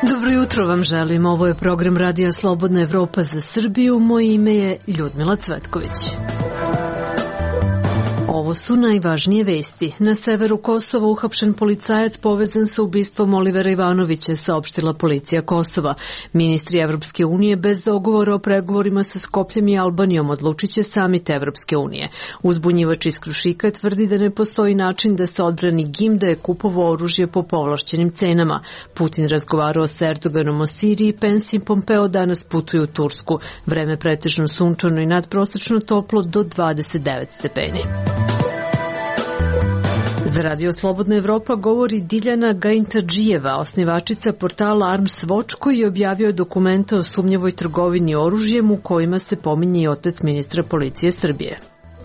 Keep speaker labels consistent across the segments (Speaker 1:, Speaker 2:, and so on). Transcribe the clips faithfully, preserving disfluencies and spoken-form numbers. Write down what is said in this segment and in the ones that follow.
Speaker 1: Dobro jutro vam želim. Ovo je program Radija Slobodna Evropa za Srbiju. Moje ime je Ljudmila Cvetković. Ovo su najvažnije vesti. Na severu Kosova uhapšen policajac povezan sa ubistvom Olivera Ivanovića, saopštila policija Kosova. Ministri Evropske unije bez dogovora o pregovorima sa Skopljem i Albanijom odlučit će samit Evropske unije. Uzbunjivač iz Krušika tvrdi da ne postoji način da se odbrani G I M da je kupovao oružje po povlašćenim cenama. Putin razgovarao sa Erdoganom o Siriji, Pence i Pompeo danas putuju u Tursku. Vreme pretežno sunčano i nadprosečno toplo do dvadeset devet stepeni. Za Radio Slobodna Evropa govori Diljana Gajintadžijeva, osnivačica portala Arms Watch, koji je objavio dokumente o sumnjivoj trgovini oružjem u kojima se pominje i otac ministra policije Srbije.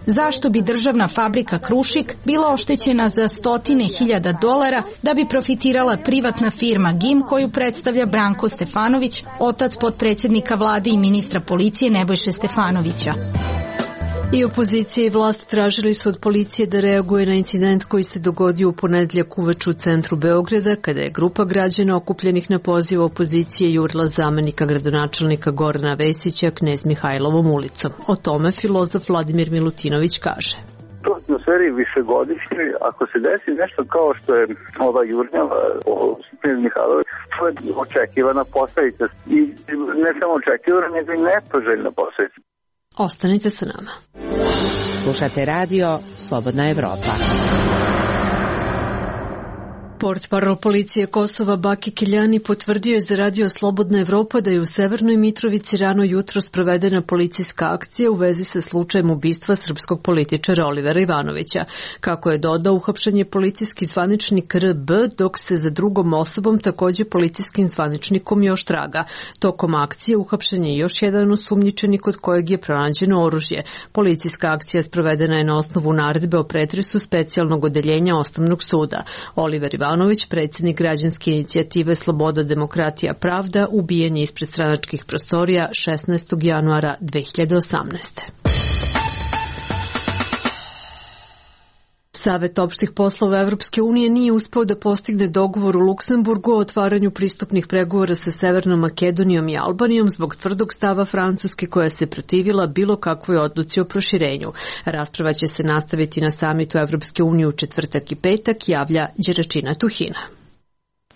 Speaker 2: Zašto bi državna fabrika Krušik bila oštećena za stotine hiljada dolara da bi profitirala privatna firma G I M koju predstavlja Branko Stefanović, otac potpredsjednika vlade i ministra policije Nebojše Stefanovića?
Speaker 1: I opozicija i vlast tražili su od policije da reaguje na incident koji se dogodio u ponedjeljak uveče u centru Beograda, kada je grupa građana okupljenih na poziv opozicije jurila zamenika gradonačelnika Gorana Vesića Knez Mihajlovom ulicom. O tome filozof Vladimir Milutinović kaže.
Speaker 3: U atmosferi višegodišnjoj, ako se desi nešto kao što je ova jurnjava o Knez Mihajlovi, to je očekivana posledica. I ne samo očekivana, nego i nepoželjna posledica.
Speaker 1: Ostanite sa nama.
Speaker 4: Slušate radio Slobodna Evropa.
Speaker 1: Portparol policije Kosova Baki Kiljani potvrdio je za Radio Slobodna Evropa da je u Severnoj Mitrovici rano jutro sprovedena policijska akcija u vezi sa slučajem ubistva srpskog političara Olivera Ivanovića. Kako je dodao, uhapšen je policijski zvaničnik R B, dok se za drugom osobom takođe policijskim zvaničnikom još traga. Tokom akcije uhapšen je još jedan osumnjičeni kod kojeg je pronađeno oružje. Policijska akcija sprovedena je na osnovu naredbe o pretresu specijalnog odeljenja Osnovnog suda. Oliver Ivanović Ivanović, predsjednik građanske inicijative Sloboda, demokratija, pravda, ubijen je ispred stranačkih prostorija šesnaestog januara dve hiljade osamnaeste. Savet opštih poslova Evropske unije nije uspeo da postigne dogovor u Luksemburgu o otvaranju pristupnih pregovora sa Severnom Makedonijom i Albanijom zbog tvrdog stava Francuske koja se protivila bilo kakvoj odluci o proširenju. Rasprava će se nastaviti na samitu Evropske unije u četvrtak i petak, javlja Đeračina Tuhina.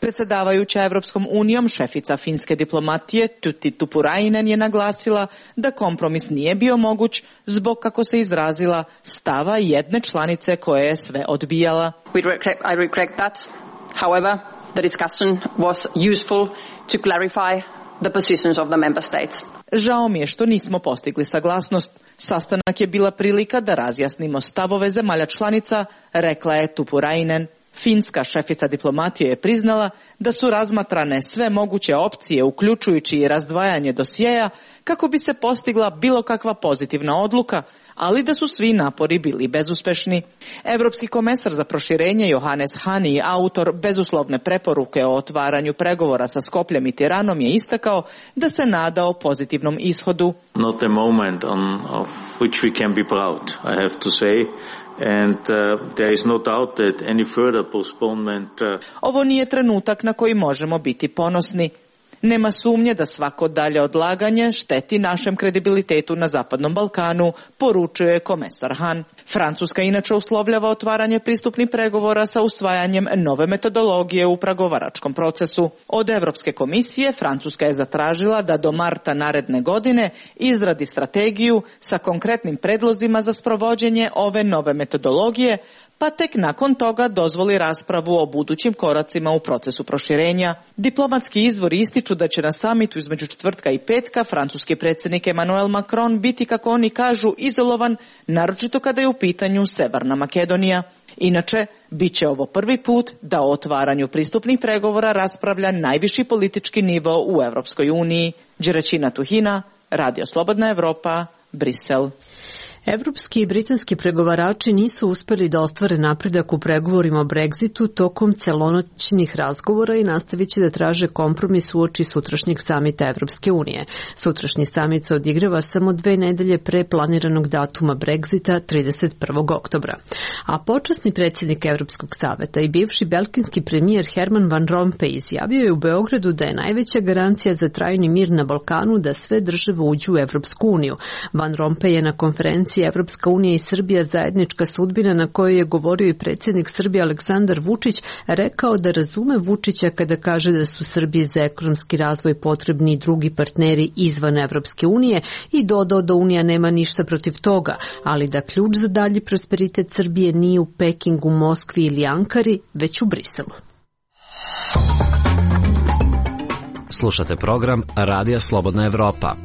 Speaker 5: Predsjedavajuća Evropskom unijom, šefica finske diplomatije Tytti Tuppurainen je naglasila da kompromis nije bio moguć zbog, kako se izrazila, stava jedne članice koja je sve odbijala.
Speaker 6: I regret that. However, the discussion was useful to clarify the positions of the member states.
Speaker 5: Žao mi je što nismo postigli saglasnost. Sastanak je bila prilika da razjasnimo stavove zemalja članica, rekla je Tuppurainen. Finska šefica diplomatije je priznala da su razmatrane sve moguće opcije, uključujući i razdvajanje dosjeja, kako bi se postigla bilo kakva pozitivna odluka, ali da su svi napori bili bezuspešni. Evropski komesar za proširenje Johannes Hahn i autor bezuslovne preporuke o otvaranju pregovora sa Skopljem i Tiranom je istakao da se nadao pozitivnom ishodu.
Speaker 7: Not a moment on of which we can be proud, I have to say. And uh, there is no doubt that any further postponement. Uh...
Speaker 5: Ovo nije trenutak na koji možemo biti ponosni. Nema sumnje da svako dalje odlaganje šteti našem kredibilitetu na Zapadnom Balkanu, poručuje komesar Hahn. Francuska inače uslovljava otvaranje pristupnih pregovora sa usvajanjem nove metodologije u pregovaračkom procesu. Od Evropske komisije Francuska je zatražila da do marta naredne godine izradi strategiju sa konkretnim predlozima za sprovođenje ove nove metodologije, pa tek nakon toga dozvoli raspravu o budućim koracima u procesu proširenja. Diplomatski izvori ističu da će na samitu između četvrtka i petka francuski predsjednik Emmanuel Macron biti, kako oni kažu, izolovan, naročito kada je u pitanju Severna Makedonija. Inače, bit će ovo prvi put da o otvaranju pristupnih pregovora raspravlja najviši politički nivo u Evropskoj uniji. Đeračina Tuhina, Radio Slobodna Evropa, Brisel.
Speaker 1: Evropski i britanski pregovarači nisu uspeli da ostvare napredak u pregovorima o Brexitu tokom celonoćnih razgovora i nastavit će da traže kompromis uoči sutrašnjeg samita Evropske unije. Sutrašnji samit se odigrava samo dve nedelje pre planiranog datuma Brexita, trideset prvog oktobra. A počasni predsjednik Evropskog saveta i bivši belgijski premijer Herman Van Rompuy izjavio je u Beogradu da je najveća garancija za trajni mir na Balkanu da sve države uđu u Evropsku uniju. Van Rompuy je na konferenciji Evropska unija i Srbija zajednička sudbina na kojoj je govorio i predsjednik Srbije Aleksandar Vučić rekao da razume Vučića kada kaže da su Srbiji za ekonomski razvoj potrebni i drugi partneri izvan Evropske unije i dodao da Unija nema ništa protiv toga, ali da ključ za dalji prosperitet Srbije nije u Pekingu, Moskvi ili Ankari, već u Briselu.
Speaker 8: Slušate program Radija Slobodna Evropa.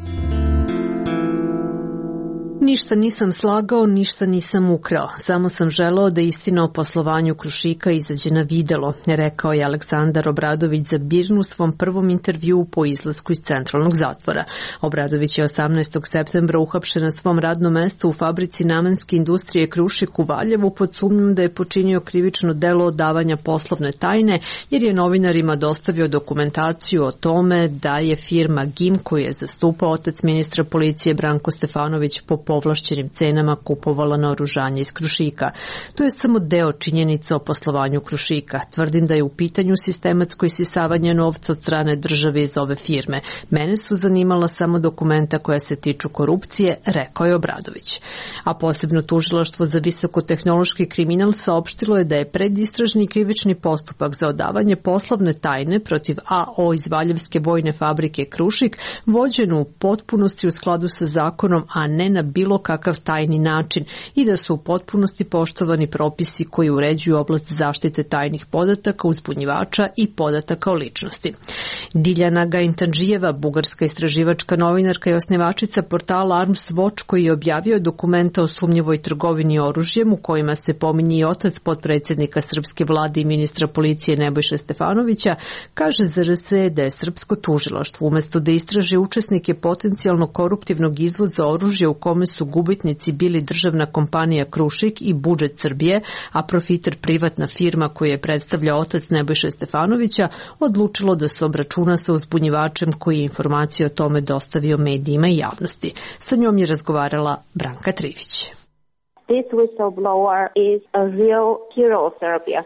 Speaker 1: Ništa nisam slagao, ništa nisam ukrao. Samo sam želeo da istina o poslovanju Krušika izađe na videlo, rekao je Aleksandar Obradović za Birnu u svom prvom intervjuu po izlasku iz centralnog zatvora. Obradović je osamnaestog septembra uhapšen na svom radnom mestu u fabrici namenske industrije Krušik u Valjevu pod sumnjom da je počinio krivično delo odavanja poslovne tajne, jer je novinarima dostavio dokumentaciju o tome da je firma G I M, koju je zastupao otac ministra policije Branko Stefanović, po povlašćenim cenama kupovala naoružanje iz Krušika. To je samo deo činjenica o poslovanju Krušika. Tvrdim da je u pitanju sistematsko isisavanje novca od strane države iz ove firme. Mene su zanimala samo dokumenta koja se tiču korupcije, rekao je Obradović. A posebno tužilaštvo za visokotehnološki kriminal saopštilo je da je predistražni krivični postupak za odavanje poslovne tajne protiv A O iz Valjevske vojne fabrike Krušik vođen u potpunosti u skladu sa zakonom, a ne na bilo kakav tajni način i da su u potpunosti poštovani propisi koji uređuju oblast zaštite tajnih podataka, uzbunjivača i podataka o ličnosti. Diljana Gaintanđijeva, bugarska istraživačka novinarka i osnivačica portala Arms Watch, koji je objavio dokumenta o sumnjivoj trgovini oružjem u kojima se pominje i otac potpredsjednika srpske vlade i ministra policije Nebojše Stefanovića, kaže za R S da je srpsko tužilaštvo umesto da istraži učesnike potencijalno koruptivnog izvoza oružja u kome su gubitnici bili državna kompanija Krušik i budžet Srbije, a profiter privatna firma koju je predstavljao otac Nebojše Stefanovića, odlučilo da se obračuna sa uzbunjivačem koji je informacije o tome dostavio medijima i javnosti. Sa njom je razgovarala Branka Trivić.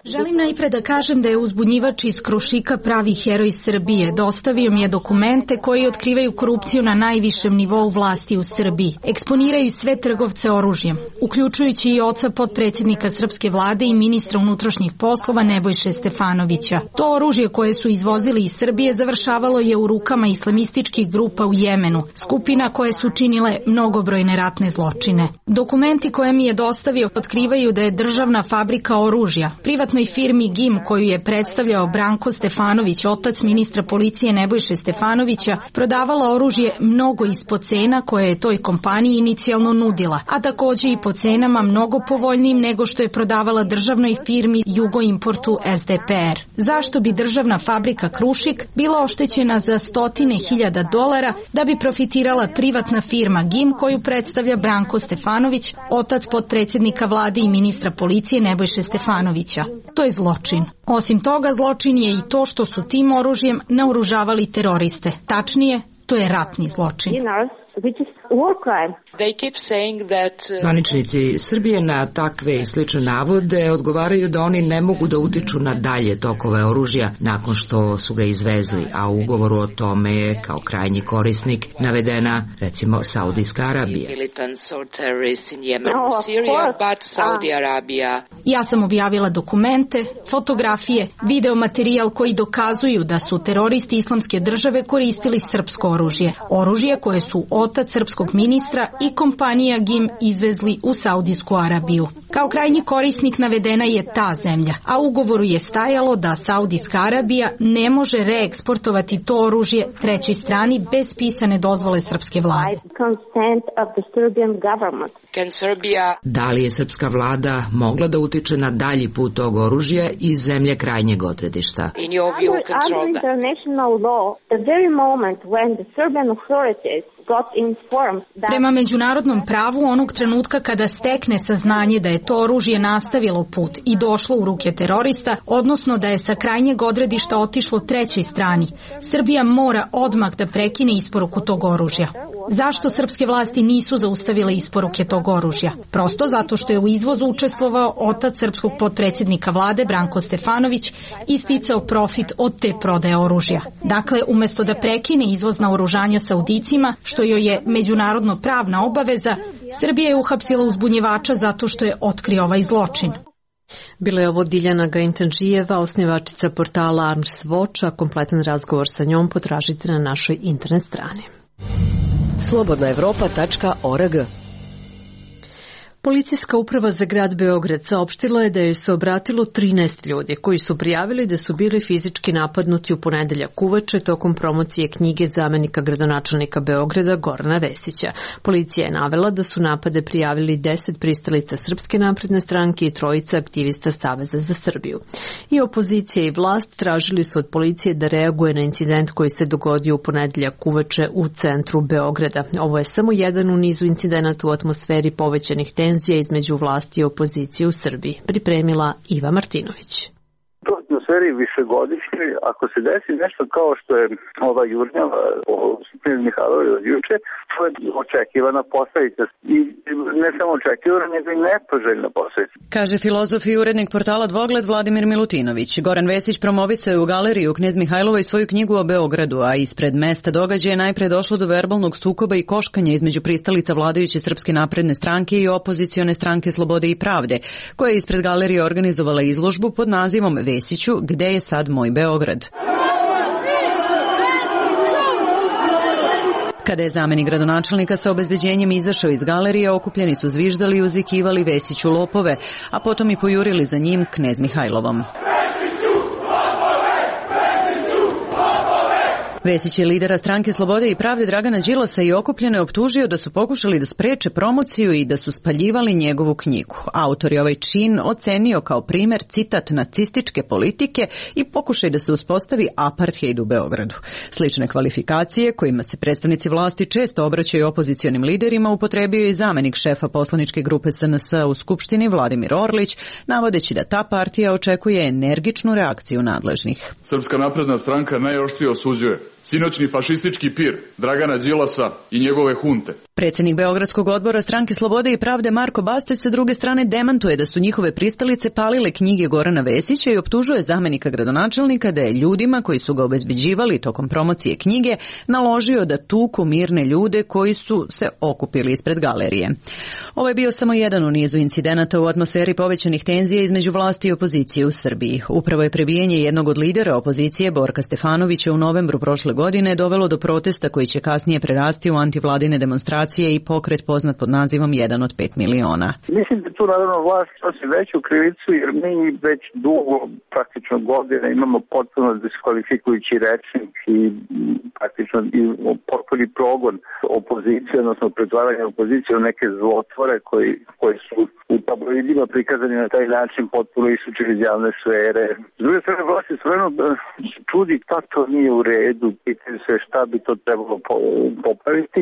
Speaker 2: Želim najpre da kažem da je uzbunjivač iz Krušika pravi heroj Srbije. Dostavio mi je dokumente koji otkrivaju korupciju na najvišem nivou vlasti u Srbiji. Eksponiraju sve trgovce oružjem, uključujući i oca potpredsjednika srpske vlade i ministra unutrašnjih poslova Nebojše Stefanovića. To oružje koje su izvozili iz Srbije završavalo je u rukama islamističkih grupa u Jemenu, skupina koje su činile mnogobrojne ratne zločine. Dokumenti koje mi je dostavio otkrivaju da je državna fabrika oružja privatnoj firmi G I M, koju je predstavljao Branko Stefanović, otac ministra policije Nebojše Stefanovića, prodavala oružje mnogo ispod cena koje je toj kompaniji inicijalno nudila, a takođe i po cenama mnogo povoljnijim nego što je prodavala državnoj firmi Jugoimportu S D P R. Zašto bi državna fabrika Krušik bila oštećena za stotine hiljada dolara da bi profitirala privatna firma G I M, koju predstavlja Branko Stefanović, otac potpredsjednika vlade i ministra policije Nebojše Stefanovića? To je zločin. Osim toga, zločin je i to što su tim oružjem naoružavali teroriste. Tačnije, to je ratni zločin.
Speaker 9: Zvaničnici Srbije na takve i slične navode odgovaraju da oni ne mogu da utiču na dalje tokove oružja nakon što su ga izvezli, a u ugovoru o tome je kao krajnji korisnik navedena recimo Saudijska Arabija.
Speaker 2: Ja sam objavila dokumente, fotografije, videomaterijal koji dokazuju da su teroristi Islamske države koristili srpsko oružje. Oružje koje su otac srpskog ministra i kompanija G I M izvezli u Saudijsku Arabiju. Kao krajnji korisnik navedena je ta zemlja, a u ugovoru je stajalo da Saudijska Arabija ne može reeksportovati to oružje trećoj strani bez pisane dozvole srpske vlade.
Speaker 9: Da li je srpska vlada mogla da utiče na dalji put tog oružja iz zemlje krajnjeg odredišta?
Speaker 10: Under international law, the very moment when the Serbian authorities got
Speaker 2: Prema međunarodnom pravu, onog trenutka kada stekne saznanje da je to oružje nastavilo put i došlo u ruke terorista, odnosno da je sa krajnjeg odredišta otišlo trećoj strani, Srbija mora odmah da prekine isporuku tog oružja. Zašto srpske vlasti nisu zaustavile isporuke tog oružja? Prosto zato što je u izvozu učestvovao otac srpskog potpredsjednika vlade Branko Stefanović i sticao profit od te prodaje oružja. Dakle, umesto da prekine izvoz naoružanja Saudicima, što joj je međunarodno pravna obaveza, Srbija je uhapsila uzbunjivača zato što je otkrio ovaj zločin.
Speaker 1: Bila je ovo Diljana Gaintanžijeva, osnivačica portala Arms Watch, a kompletan razgovor sa njom potražite na našoj internet strani.
Speaker 10: slobodna evropa tačka org.
Speaker 1: Policijska uprava za grad Beograd saopštila je da joj se obratilo trinaest ljudi koji su prijavili da su bili fizički napadnuti u ponedeljak uveče tokom promocije knjige zamenika gradonačelnika Beograda Gorana Vesića. Policija je navela da su napade prijavili deset pristalica Srpske napredne stranke i trojica aktivista Saveza za Srbiju. I opozicija i vlast tražili su od policije da reaguje na incident koji se dogodio u ponedeljak uveče u centru Beograda. Ovo je samo jedan u nizu incidenata u atmosferi povećanih tenzija između vlasti i opozicije u Srbiji, pripremila Iva Martinović.
Speaker 3: U atmosferi višegodišnjoj, ako se desi nešto kao što je ova jurnjava o knez Mihajlovi od juče, to je očekivana posledica. I ne samo očekivana, nego i nepoželjna posledica.
Speaker 11: Kaže filozof i urednik portala Dvogled Vladimir Milutinović. Goran Vesić promovisao je u galeriji u Knez Mihajlovoj svoju knjigu o Beogradu, a ispred mesta događaja je najpre došlo do verbalnog sukoba i koškanja između pristalica vladajuće Srpske napredne stranke i opozicione stranke Slobode i pravde, koja je ispred galerije organizovala izložbu pod nazivom Vesiću, gde je sad moj Beograd? Kada je zamenik gradonačelnika sa obezbeđenjem izašao iz galerije, okupljeni su zviždali i uzvikivali Vesiću lopove, a potom i pojurili za njim Knez Mihajlovom. Vesić je lidera stranke Slobode i pravde Dragana Đilasa i okupljene optužio da su pokušali da spreče promociju i da su spaljivali njegovu knjigu. Autor je ovaj čin ocenio kao primer, citat, nacističke politike i pokušaj da se uspostavi apartheid u Beogradu. Slične kvalifikacije, kojima se predstavnici vlasti često obraćaju opozicionim liderima, upotrebio je i zamenik šefa poslaničke grupe S N S u Skupštini Vladimir Orlić, navodeći da ta partija očekuje energičnu reakciju nadležnih.
Speaker 12: Srpska napredna stranka najoštrije osuđuje sinoćni fašistički pir Dragana Đilasa i njegove hunte.
Speaker 11: Predsjednik Beogradskog odbora stranke Slobode i pravde Marko Bastać sa druge strane demantuje da su njihove pristalice palile knjige Gorana Vesića i optužuje zamenika gradonačelnika da je ljudima koji su ga obezbeđivali tokom promocije knjige naložio da tuku mirne ljude koji su se okupili ispred galerije. Ovo je bio samo jedan u nizu incidenata u atmosferi povećanih tenzija između vlasti i opozicije u Srbiji. Upravo je prebijanje jednog od lidera opozicije Borka Stefanovića u novembru prošle godine dovelo do protesta koji će kasnije prerasti u antivladine demonstracije i pokret poznat pod nazivom jedan od pet miliona.
Speaker 3: Mislim da tu naravno vlast nosi veću krivicu jer mi već dugo, praktično godine, imamo potpuno diskvalifikujući rečnik i praktično i potpuni progon opozicije, odnosno pretvaranje opozicije u neke zlotvore koji, koji su u tabloidima prikazani na taj način potpuno isučeni iz javne sfere. S druge strane, vlast je stvarno čudi pa to nije u redu, pitaju se šta bi to trebalo popraviti,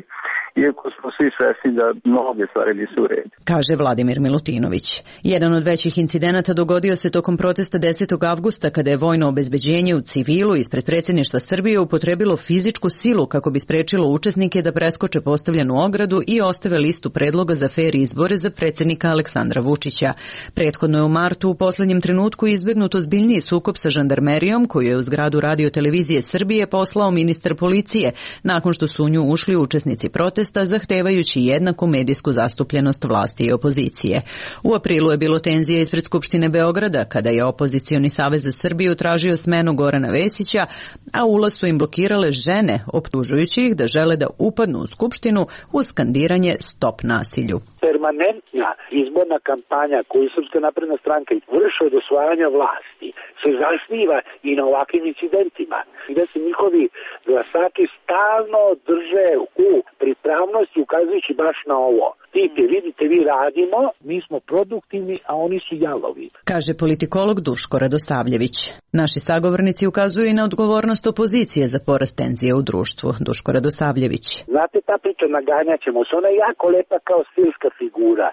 Speaker 3: iako smo svi svesni da mnoge stvari nisu u redu.
Speaker 11: Kaže Vladimir Milutinović. Jedan od većih incidenata dogodio se tokom protesta desetog avgusta kada je vojno obezbeđenje u civilu ispred predsjedništva Srbije upotrebilo fizičku silu kako bi sprečilo učesnike da preskoče postavljenu ogradu i ostave listu predloga za fer izbore za predsjednika Aleksandra Vučića. Prethodno je u martu u poslednjem trenutku izbegnut ozbiljniji sukob sa žandarmerijom koju je u zgradu Radio televizije Srbije poslao ministar policije nakon što su u nju ušli učesnici protesta zahtevajući jednaku medijsku zastupljenost vlasti i opozicije. U aprilu je bilo tenzija ispred Skupštine Beograda kada je opozicioni Savez za Srbiju tražio smenu Gorana Vesića, a ulaz su im blokirale žene optužujući ih da žele da upadnu u Skupštinu uz skandiranje Stop nasilju.
Speaker 13: Permanentna izborna kampanja koju Srpska napredna stranka vrši od osvajanja vlasti se zasniva i na ovakvim incidentima, gde se njihovi glasači stalno drže u pripravnosti ukazujući baš na ovo. Tip je, vidite, vi radimo, mi smo produktivni, a oni su jalovi.
Speaker 11: Kaže politikolog Duško Radosavljević. Naši sagovornici ukazuju i na odgovornost opozicije za porast tenzije u društvu. Duško Radosavljević.
Speaker 13: Znate, ta priča naganjat ćemo se, ona je jako lepa kao stilska figura,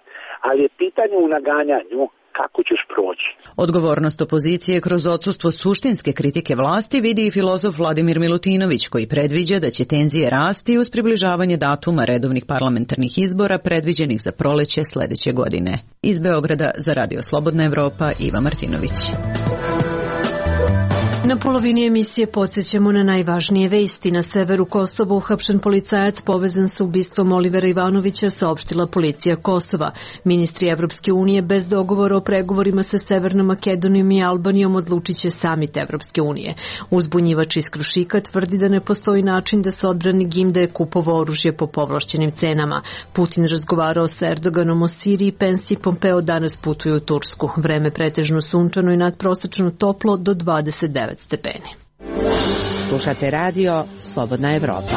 Speaker 13: ali je pitanje u naganjanju kako ćeš proći.
Speaker 11: Odgovornost opozicije kroz odsustvo suštinske kritike vlasti vidi i filozof Vladimir Milutinović, koji predviđa da će tenzije rasti uz približavanje datuma redovnih parlamentarnih izbora predviđenih za proleće sledeće godine. Iz Beograda za Radio Slobodna Evropa, Iva Martinović.
Speaker 1: Na polovini emisije podsjećamo na najvažnije vesti. Na severu Kosova uhapšen policajac povezan sa ubistvom Olivera Ivanovića, saopštila policija Kosova. Ministri Evropske unije bez dogovora o pregovorima sa Severnom Makedonijom i Albanijom odlučit će samit Evropske unije. Uzbunjivač iz Krušika tvrdi da ne postoji način da se odbrani G I M da je kupovao oružje po povlašćenim cenama. Putin razgovarao sa Erdoganom o Siriji, Pence i Pompeo danas putuju u Tursku. Vreme pretežno sunčano i nadprosečno toplo do dvadeset devet stepeni.
Speaker 4: Slušate radio Slobodna Evropa.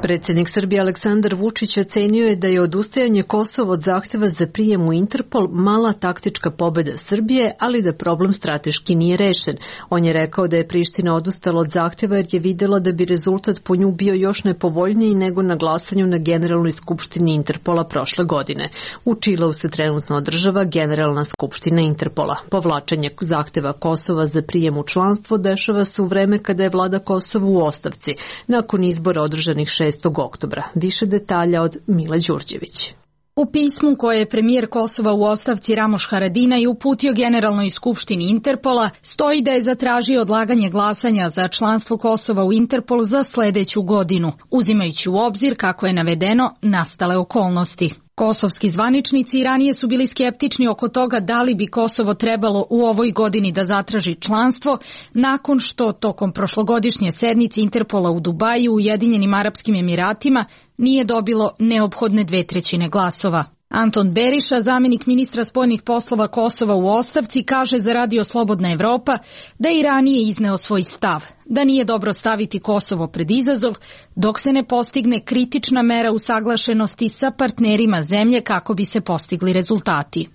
Speaker 1: Predsjednik Srbije Aleksandar Vučić ocenio je da je odustajanje Kosova od zahteva za prijem u Interpol mala taktička pobjeda Srbije, ali da problem strateški nije rešen. On je rekao da je Priština odustala od zahteva jer je videla da bi rezultat po nju bio još nepovoljniji nego na glasanju na Generalnoj skupštini Interpola prošle godine. U Čileu se trenutno održava Generalna skupština Interpola. Povlačenje zahteva Kosova za prijem u članstvo dešava se u vreme kada je vlada Kosova u ostavci, nakon izbora održanih šestog oktobra. Više detalja od Mila Đurđević.
Speaker 2: U pismu koje je premijer Kosova u ostavci Ramoš Haradinaj uputio Generalnoj skupštini Interpola stoji da je zatražio odlaganje glasanja za članstvo Kosova u Interpol za sledeću godinu, uzimajući u obzir, kako je navedeno, nastale okolnosti. Kosovski zvaničnici i ranije su bili skeptični oko toga da li bi Kosovo trebalo u ovoj godini da zatraži članstvo, nakon što tokom prošlogodišnje sednice Interpola u Dubaju u Ujedinjenim Arapskim Emiratima nije dobilo neophodne dve trećine glasova. Anton Beriša, zamenik ministra spoljnih poslova Kosova u ostavci, kaže za Radio Slobodna Evropa da je i ranije izneo svoj stav, da nije dobro staviti Kosovo pred izazov dok se ne postigne kritična mera usaglašenosti sa partnerima zemlje kako bi se postigli rezultati.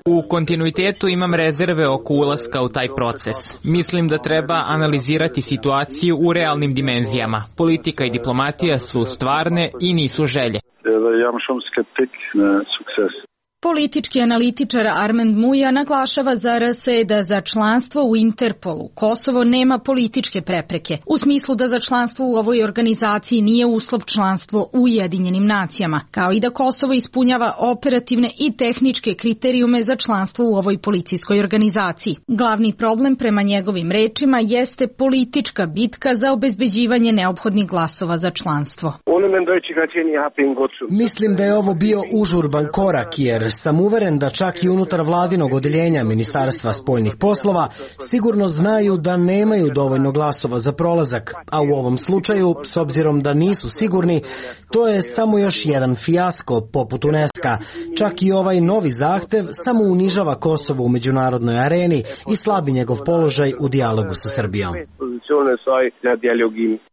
Speaker 14: U kontinuitetu imam rezerve oko ulaska u taj proces. Mislim da treba analizirati situaciju u realnim dimenzijama. Politika i diplomatija su stvarne i nisu želje.
Speaker 2: Politički analitičar Armand Muja naglašava za R S E da za članstvo u Interpolu Kosovo nema političke prepreke, u smislu da za članstvo u ovoj organizaciji nije uslov članstvo u Ujedinjenim nacijama, kao i da Kosovo ispunjava operativne i tehničke kriterijume za članstvo u ovoj policijskoj organizaciji. Glavni problem, prema njegovim rečima, jeste politička bitka za obezbeđivanje neophodnih glasova za članstvo.
Speaker 15: Mislim da je ovo bio užurban korak, jer sam uveren da čak i unutar vladinog odeljenja Ministarstva spoljnih poslova sigurno znaju da nemaju dovoljno glasova za prolazak, a u ovom slučaju, s obzirom da nisu sigurni, to je samo još jedan fijasko poput UNESCO. Čak i ovaj novi zahtev samo unižava Kosovo u međunarodnoj areni i slabi njegov položaj u dijalogu sa Srbijom.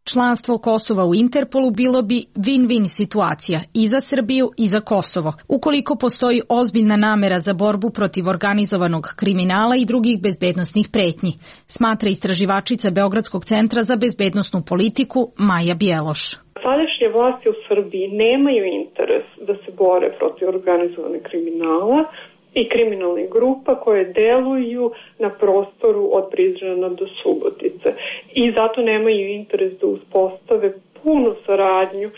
Speaker 2: Članstvo Kosova u Interpolu bilo bi win-win situacija i za Srbiju i za Kosovo, ukoliko postoji ozbiljna namera za borbu protiv organizovanog kriminala i drugih bezbednosnih pretnji, smatra istraživačica Beogradskog centra za bezbednosnu politiku Maja Bjeloš.
Speaker 16: Sadašnje vlasti u Srbiji nemaju interes da se bore protiv organizovanog kriminala i kriminalnih grupa koje deluju na prostoru od Prizrena do Subotice i zato nemaju interes da uspostave punu saradnju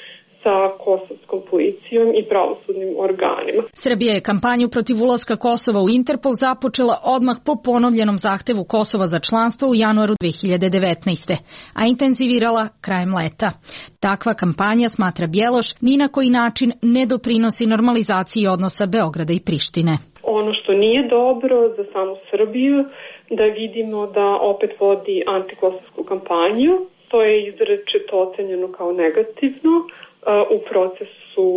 Speaker 16: sa kosovskom policijom i pravosudnim organima.
Speaker 2: Srbija je kampanju protiv ulaska Kosova u Interpol započela odmah po ponovljenom zahtevu Kosova za članstvo u januaru dve hiljade devetnaeste. a intenzivirala krajem leta. Takva kampanja, smatra Bjeloš, ni na koji način ne doprinosi normalizaciji odnosa Beograda i Prištine.
Speaker 16: Ono što nije dobro za samu Srbiju, da vidimo da opet vodi antikosovsku kampanju, to je izrečito ocenjeno kao negativno u procesu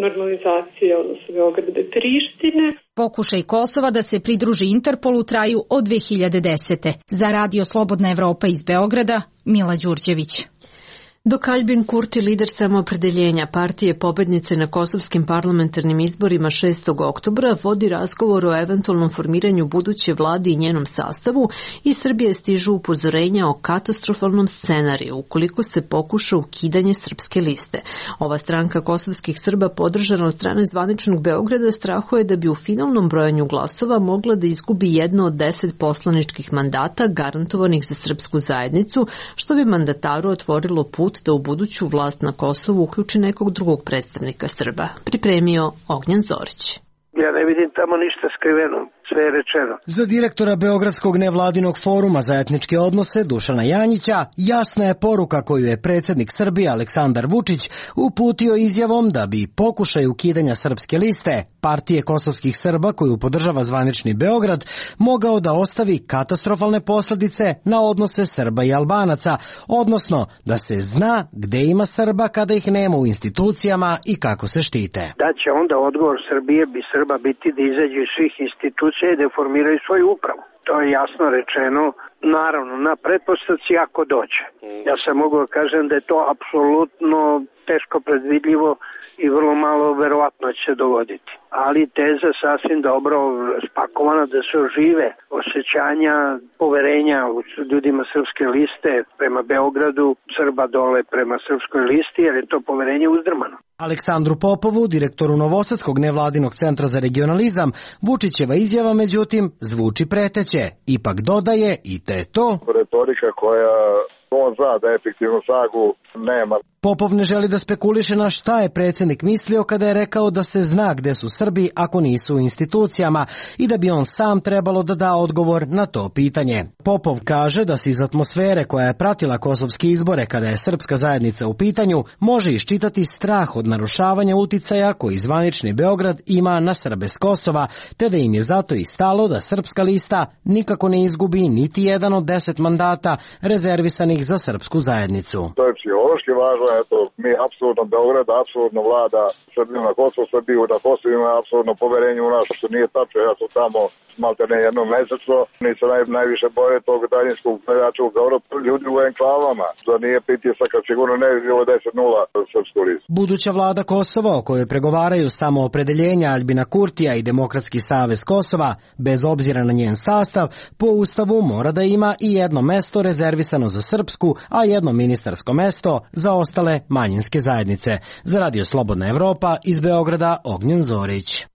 Speaker 16: normalizacije odnosa Beograda i Prištine.
Speaker 2: Pokušaj Kosova da se pridruži Interpolu traju od dve hiljade desete. Za Radio Slobodna Evropa iz Beograda, Mila Đurđević.
Speaker 1: Dok Albin Kurti, lider Samoopredeljenja partije pobednice na kosovskim parlamentarnim izborima šestog oktobra, vodi razgovor o eventualnom formiranju buduće vlade i njenom sastavu, iz Srbije stižu upozorenja o katastrofalnom scenariju ukoliko se pokuša ukidanje srpske liste. Ova stranka kosovskih Srba, podržana od strane zvaničnog Beograda, strahuje da bi u finalnom brojanju glasova mogla da izgubi jedno od deset poslaničkih mandata garantovanih za srpsku zajednicu, što bi mandataru otvorilo put da u buduću vlast na Kosovu uključi nekog drugog predstavnika Srba. Pripremio Ognjan Zorić.
Speaker 17: Ja ne vidim tamo ništa skriveno, sve je rečeno.
Speaker 15: Za direktora Beogradskog nevladinog foruma za etničke odnose Dušana Janjića jasna je poruka koju je predsjednik Srbije Aleksandar Vučić uputio izjavom da bi pokušaj ukidanja srpske liste partije kosovskih Srba koju podržava zvanični Beograd mogao da ostavi katastrofalne posljedice na odnose Srba i Albanaca, odnosno da se zna gde ima Srba kada ih nema u institucijama i kako se štite.
Speaker 17: Da će onda odgovor Srbije bi Srba biti da izađu iz svih institucija i da formiraju svoju upravu. To je jasno rečeno, naravno, na pretpostavci ako dođe. Ja sam mogu da kažem da je to apsolutno teško predvidljivo i vrlo malo verovatno će se dogoditi. Ali teza sasvim dobro spakovana da se ožive osjećanja poverenja u ljudima srpske liste prema Beogradu, Srba dole prema srpskoj listi, jer je to poverenje uzdrmano.
Speaker 15: Aleksandru Popovu, direktoru Novosadskog nevladinog centra za regionalizam, Vučićeva izjava međutim zvuči preteće. Ipak dodaje i te to.
Speaker 18: Retorika koja on zna da efektivnu sagu nema.
Speaker 15: Popov ne želi da spekuliše na šta je predsjednik mislio kada je rekao da se zna gde su Srbi ako nisu u institucijama i da bi on sam trebalo da da odgovor na to pitanje. Popov kaže da se iz atmosfere koja je pratila kosovske izbore kada je srpska zajednica u pitanju može iščitati strah od narušavanja uticaja koji zvanični Beograd ima na Srbe s Kosova, te da im je zato i stalo da srpska lista nikako ne izgubi niti jedan od deset mandata rezervisanih za srpsku zajednicu.
Speaker 18: To je psihološki važno, eto, mi apsolutno Beograd, apsolutno vlada Srbiju na Kosovu, Srbiju na Kosovu ima apsolutno poverenje u nas, što nije tačno, ja sam tamo malte ne jednom mesečno, nisam naj, najviše boje tog daljinskog gledača u Beogradu, ljudi u enklavama, da nije pritisak, sigurno ne bi bilo deset nula srpsku listu.
Speaker 15: Buduća vlada Kosova, o kojoj pregovaraju Samoopredeljenja Albina Kurtija i Demokratski savez Kosova, bez obzira na njen sastav, po ustavu mora da ima i jedno mesto rezervisano za srpsku, a jedno ministarsko mesto za ostale manjinske zajednice. Za Radio Slobodna Evropa iz Beograda Ognjen Zorić.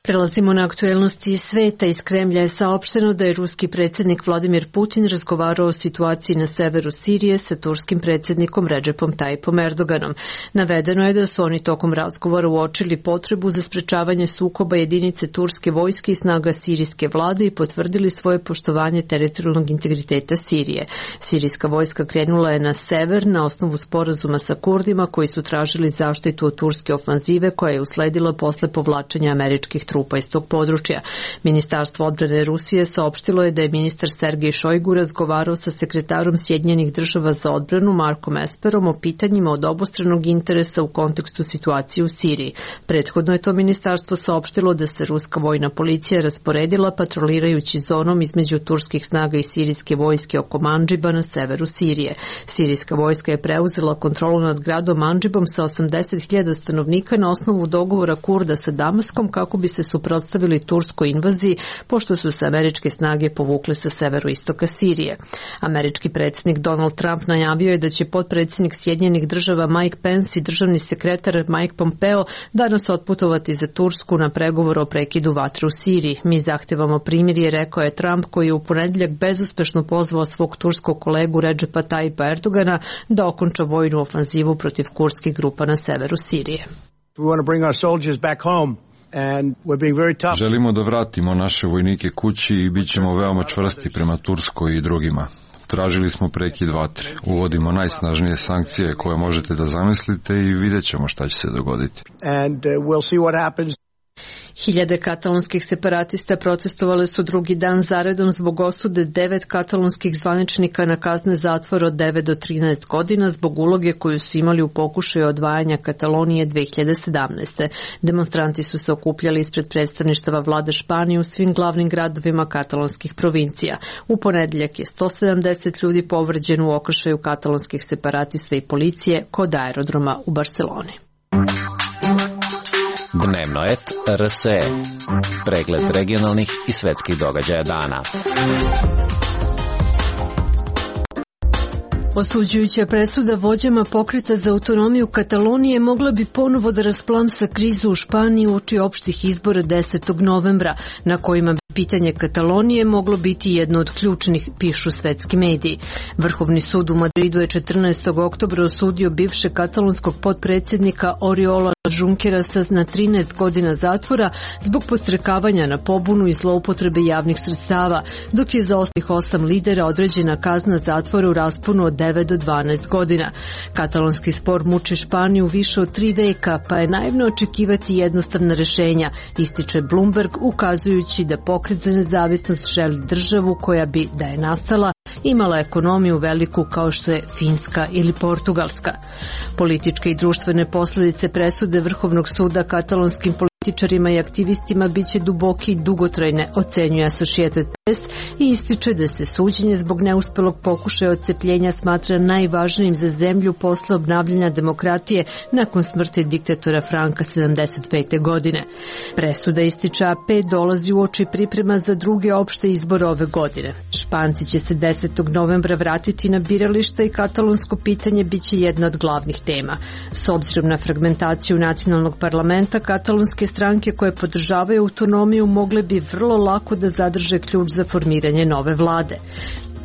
Speaker 1: Prelazimo na aktuelnosti iz sveta. Iz Kremlja je saopšteno da je ruski predsjednik Vladimir Putin razgovarao o situaciji na severu Sirije sa turskim predsjednikom Redžepom Tajipom Erdoganom. Navedeno je da su oni tokom razgovora uočili potrebu za sprečavanje sukoba jedinice turske vojske i snaga sirijske vlade i potvrdili svoje poštovanje teritorijalnog integriteta Sirije. Sirijska vojska krenula je na sever na osnovu sporazuma sa Kurdima koji su tražili zaštitu od turske ofanzive koja je usledila posle povlačenja američkih trupa iz tog područja. Ministarstvo odbrane Rusije saopštilo je da je ministar Sergej Šojgu razgovarao sa sekretarom Sjedinjenih država za odbranu Markom Esperom o pitanjima od obostranog interesa u kontekstu situacije u Siriji. Prethodno je to ministarstvo saopštilo da se ruska vojna policija rasporedila patrolirajući zonom između turskih snaga i sirijske vojske oko Mandžiba na severu Sirije. Sirijska vojska je preuzela kontrolu nad gradom Mandžibom sa osamdeset hiljada stanovnika na osnovu dogovora Kurda sa Damaskom kako bi se suprotstavili turskoj invaziji, pošto su se američke snage povukle sa severoistoka Sirije. Američki predsjednik Donald Trump najavio je da će potpredsjednik Sjedinjenih država Mike Pence i državni sekretar Mike Pompeo danas otputovati za Tursku na pregovor o prekidu vatre u Siriji. Mi zahtevamo primirje, rekao je Trump, koji je u ponedjeljak bezuspešno pozvao svog turskog kolegu Redžepa Tajipa Erdogana da okonča vojnu ofanzivu protiv kurdskih grupa na severu Sirije.
Speaker 19: We want to bring our soldiers back home.
Speaker 20: Želimo da vratimo naše vojnike kući i bit ćemo veoma čvrsti prema Turskoj i drugima. Tražili smo prekid vatre. Uvodimo najsnažnije sankcije koje možete da zamislite i vidjet ćemo šta će se dogoditi.
Speaker 19: And, uh, we'll see what happens.
Speaker 1: Hiljade katalonskih separatista protestovale su drugi dan zaredom zbog osude devet katalonskih zvaničnika na kazne zatvora od devet do trinaest godina zbog uloge koju su imali u pokušaju odvajanja Katalonije dve hiljade sedamnaeste. Demonstranti su se okupljali ispred predstavništava vlade Španije u svim glavnim gradovima katalonskih provincija. U ponedeljak je sto sedamdeset ljudi povređeno u okršaju katalonskih separatista i policije kod aerodroma u Barceloni.
Speaker 8: Dnevno et R S E. Pregled regionalnih i svetskih događaja dana.
Speaker 1: Osuđujuća presuda vođama pokreta za autonomiju Katalonije mogla bi ponovo da rasplamsa krizu u Španiji uoči opštih izbora desetog novembra, na kojima bi pitanje Katalonije moglo biti jedno od ključnih, pišu svetski mediji. Vrhovni sud u Madridu je četrnaestog oktobra osudio bivšeg katalonskog potpredsjednika Oriola Junquerasa na trinaest godina zatvora zbog podstrekavanja na pobunu i zloupotrebe javnih sredstava, dok je za ostalih osam lidera određena kazna zatvora u rasponu od devet do dvanaest godina. Katalonski spor muči Španiju više od tri veka, pa je naivno očekivati jednostavna rešenja, ističe Bloomberg, ukazujući da pokret za nezavisnost želi državu koja bi, da je nastala, imala ekonomiju veliku kao što je Finska ili Portugalska. Političke i društvene posljedice presude Vrhovnog suda katalonskim političarima i aktivistima biće duboke i dugotrajne, ocenjuje Associated Press i ističe da se suđenje zbog neuspelog pokušaja odcepljenja smatra najvažnijim za zemlju posle obnavljanja demokratije nakon smrti diktatora Franka sedamdeset pete godine. Presuda, ističe A P, dolazi u oči priprema za druge opšte izbore ove godine. Španci će se desetog novembra vratiti na birališta i katalonsko pitanje biće jedna od glavnih tema. S obzirom na fragmentaciju nacionalnog parlamenta, katalonske stranke koje podržavaju autonomiju mogle bi vrlo lako da zadrže ključ za formiranje nove vlade.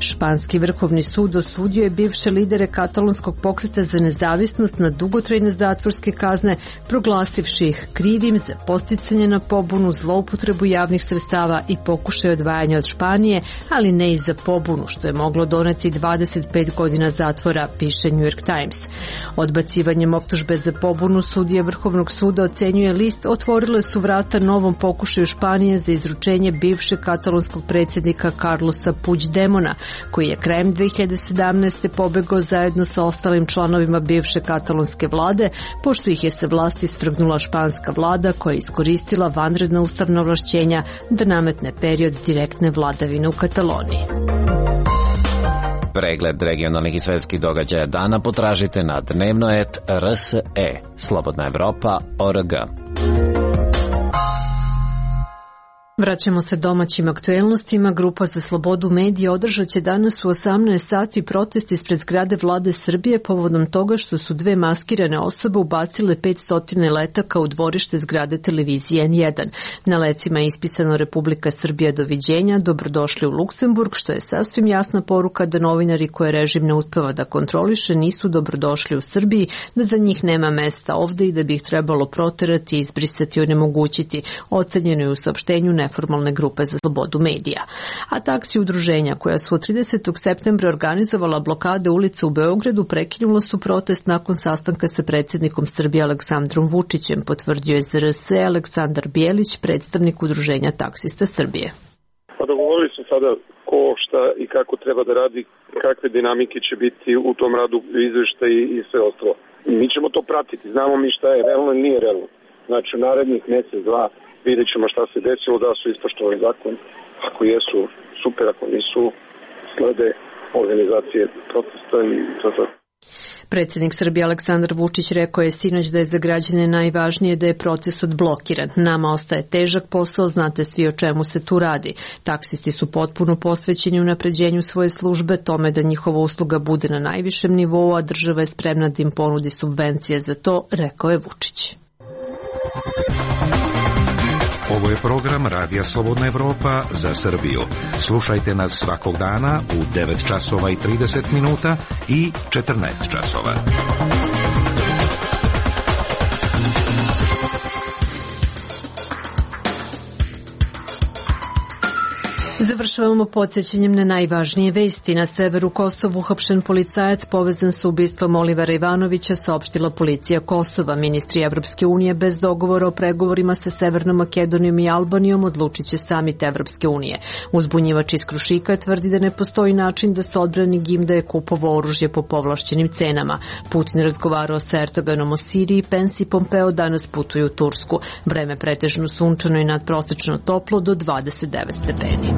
Speaker 1: Španski vrhovni sud osudio je bivše lidere katalonskog pokreta za nezavisnost na dugotrajne zatvorske kazne, proglasivši ih krivim za podsticanje na pobunu, zloupotrebu javnih sredstava i pokušaj odvajanja od Španije, ali ne i za pobunu, što je moglo doneti dvadeset pet godina zatvora, piše New York Times. Odbacivanjem optužbe za pobunu sudija Vrhovnog suda, ocenjuje list, otvorile su vrata novom pokušaju Španije za izručenje bivšeg katalonskog predsjednika Carlosa Puigdemona, koji je krajem dve hiljade sedamnaeste pobegao zajedno sa ostalim članovima bivše katalonske vlade, pošto ih je sa vlasti strgnula španska vlada koja je iskoristila vanredna ustavna ovlašćenja da nametne period direktne vladavine u Kataloniji.
Speaker 8: Pregled regionalnih i svetskih događaja dana potražite na dnevno et R S E. Slobodna Evropa, O R G.
Speaker 1: Vraćamo se domaćim aktuelnostima. Grupa za slobodu medija održat će danas u osamnaest sati protest ispred zgrade vlade Srbije povodom toga što su dve maskirane osobe ubacile petsto letaka u dvorište zgrade televizije N jedan. Na lecima je ispisano Republika Srbija doviđenja, dobrodošli u Luksemburg, što je sasvim jasna poruka da novinari koje režim ne uspeva da kontroliše nisu dobrodošli u Srbiji, da za njih nema mesta ovde i da bi ih trebalo proterati, izbrisati i onemogućiti, ocenjeno je u saopštenju neformalne grupe za slobodu medija. A taksi udruženja koja su od tridesetog septembra organizovala blokade ulica u Beogradu prekinula su protest nakon sastanka sa predsjednikom Srbije Aleksandrom Vučićem, potvrdio je Z R S Aleksandar Bijelić, predstavnik udruženja taksista Srbije.
Speaker 21: Pa dogovorili su sada ko, šta i kako treba da radi, kakve dinamike će biti u tom radu, izveštaj i sve ostalo. Mi ćemo to pratiti, znamo mi šta je realno i nije realno. Znači u narednih mjesec, dva, vidjet ćemo šta se desilo, da su ispoštovali zakon. Ako jesu, super, ako nisu, slede organizacije protesta i to to.
Speaker 1: Predsjednik Srbije Aleksandar Vučić rekao je sinoć da je za građane najvažnije da je proces odblokiran. Nama ostaje težak posao, znate svi o čemu se tu radi. Taksisti su potpuno posvećeni unapređenju svoje službe, tome da njihova usluga bude na najvišem nivou, a država je spremna da im ponudi subvencije za to, rekao je Vučić.
Speaker 22: Ovo je program Radija Slobodna Evropa za Srbiju. Slušajte nas svakog dana u devet časova i trideset minuta i četrnaest časova.
Speaker 1: Završavamo podsjećanjem na najvažnije vesti. Na severu Kosova uhapšen policajac povezan sa ubistvom Olivera Ivanovića, saopštila policija Kosova. Ministri Evropske unije bez dogovora o pregovorima sa Severnom Makedonijom i Albanijom odlučit će samit Evropske unije. Uzbunjivač iz Krušika tvrdi da ne postoji način da se odbrani Gim da je kupovao oružje po povlašćenim cenama. Putin razgovarao sa Erdoganom o Siriji, Pence i Pompeo danas putuju u Tursku. Vreme pretežno sunčano i nadprosečno toplo do dvadeset devet stepeni.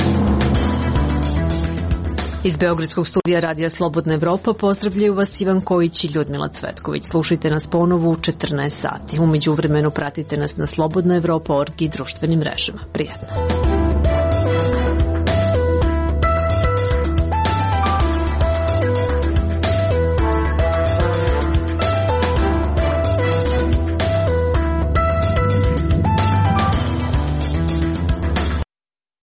Speaker 1: Iz Beogradskog studija Radija Slobodna Evropa pozdravljaju vas Ivan Kojić i Ljudmila Cvetković. Slušajte nas ponovo u četrnaest sati. U međuvremenu pratite nas na slobodna evropa tačka org i društvenim mrežama. Prijatno.